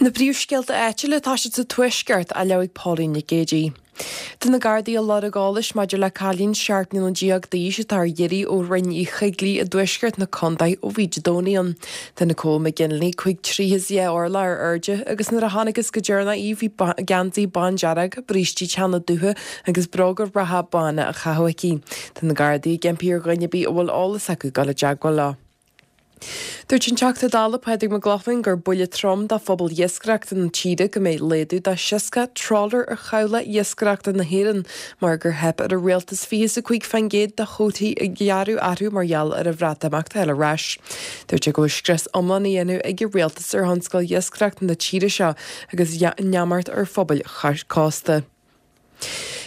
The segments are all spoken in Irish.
Na príomhscéalta áitiúla atá siad sa Tuaisceart á léamh ag Pauline Nic Géadaigh. Tá na Gardaí ag lorg eolais maidir le cailín 17 mbliana d'aois atá ar iarraidh ó Rinn Uí Choigligh i dtuaisceart na contae ó bhí Dé Domhnaigh ann. Tá Nicole McGinley 5 troigh is 2 orlach ar airde agus nuair a chonacthas go deireanach í bhí geansaí bándearg, brístí teanna dubha agus bróga reatha bána á chaitheamh aici. Tá na Gardaí ag impí ar dhuine ar bith a bhfuil eolas acu dul i dteagmháil leo. Dúirt an Teachta Dála Pádraig Mac Lochlainn gur buille trom do phobal iascaireachta na tíre go mbeidh laghdú de 60 trawler ar chabhlaigh iascaireachta na hÉireann mar gur theip ar an rialtas 25% de chuótaí a ghearradh orthu mar gheall ar an Bhreatimeacht a fháil ar ais. Dúirt sé go bhfuil scrios iomlán á dhéanamh ag an rialtas ar thionscal iascaireachta na tíre seo agus neamart ar phobail chósta.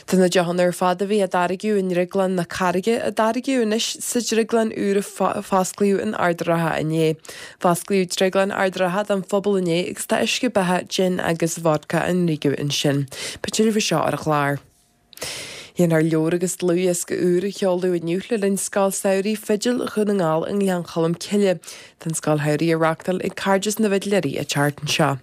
Tá na deochanna ar fad a bhí á dtáirgeadh i nDrioglann na Carraige á dtáirgeadh anois sa drioglann úr a fosclaíodh in Ard an Rátha inné. Fosclaíodh Drioglann Ard an Rátha don phobal inné agus tá uisce beatha, jin agus vodka á ndriogadh ansin. Beidh tuilleadh faoi seo ar an chlár. Déanfar leabhar agus dlúthdhiosca úr a sheoladh inniu le linn Scoil Samhraidh Fidil Dhún na nGall i nGleann Cholm Cille. Tá an Scoil Shamhraidh á reáchtáil ag Cairdeas na bhFidléirí an tseachtain seo.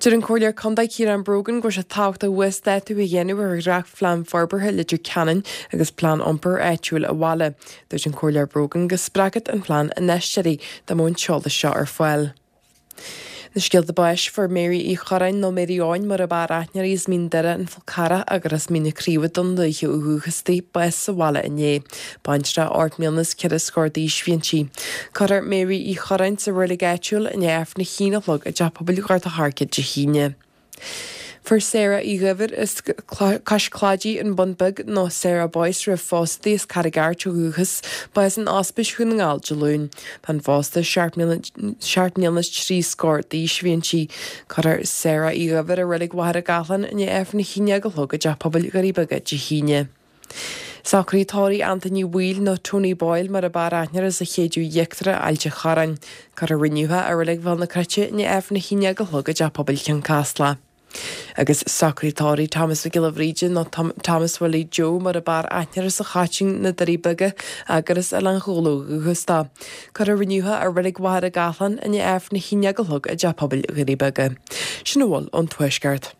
Deir an Comhairleoir Contae Ciarán Brogan go bhfuil sé tábhachtach uasdátú a dhéanamh ar dhréachtphlean forbartha Leitir Ceanainn agus plean iompair áitiúil an bhaile. Dúirt an Comhairleoir Brogan go spreagfadh an plean infheisteoirí dá mbeadh an t-eolas seo ar fáil. Na scéalta báis, fuair Mary Uí Chorráin nó Mary Eoin mar ab fhearr aithne uirthi as Mín Doire, an Fál Carrach agus as Mín na Craoibhe Dún Lúiche ó dhúchas di, bás sa bhaile inné. Baintreach 8 mbliana is 4 scór d'aois a bhí inti. Cuirfear Mary Uí Chorráin sa reilig áitiúil i ndiaidh Aifreann a haon a chlog i dTeach Pobail Ghort a' Choirce Dé hAoine. Fuair Sarah Uí Dhuibhir as Cois Claidí, An Bun Beag, nó Sarah Boyce roimh phósadh di as Carraig Airt ó dhúchas, bás in Ospís Dhún na nGall Dé Luain. Bean phósta 7 mbliana is 3 scór d'aois a bhí inti. Cuirfear Sarah Uí Dhuibhir i Reilig Mhachaire Gathlán i ndiaidh Aifreann a haon déag a chlog i dTeach Pobail Dhoirí Beaga Dé hAoine. Socruithe tórraimh Antaine Uí Bhaoill nó Tony Boyle mar ab fhearr aithne air as an Chéideadh Íochtarach, Ailt an Chorráin. Cuirfear inniu é i Reilig Bhéal na Cruite i ndiaidh Aifreann a haon déag a chlog i dTeach Pobail Chionn Caslach. Agus socruithe tórraimh Thomas Mhic Giolla Bhríde nó Thomas Willie Joe mar ab fhearr aithne air as an Choitín, Na Doirí Beaga, agus as Oileán Ghabhla ó dhúchas dó. Cuirfear inniu é i Reilig Mhachaire Gathlán i ndiaidh Aifreann a haon déag a chlog i dTeach Pobail Dhoirí Beaga. Sin a bhfuil ón Tuaisceart.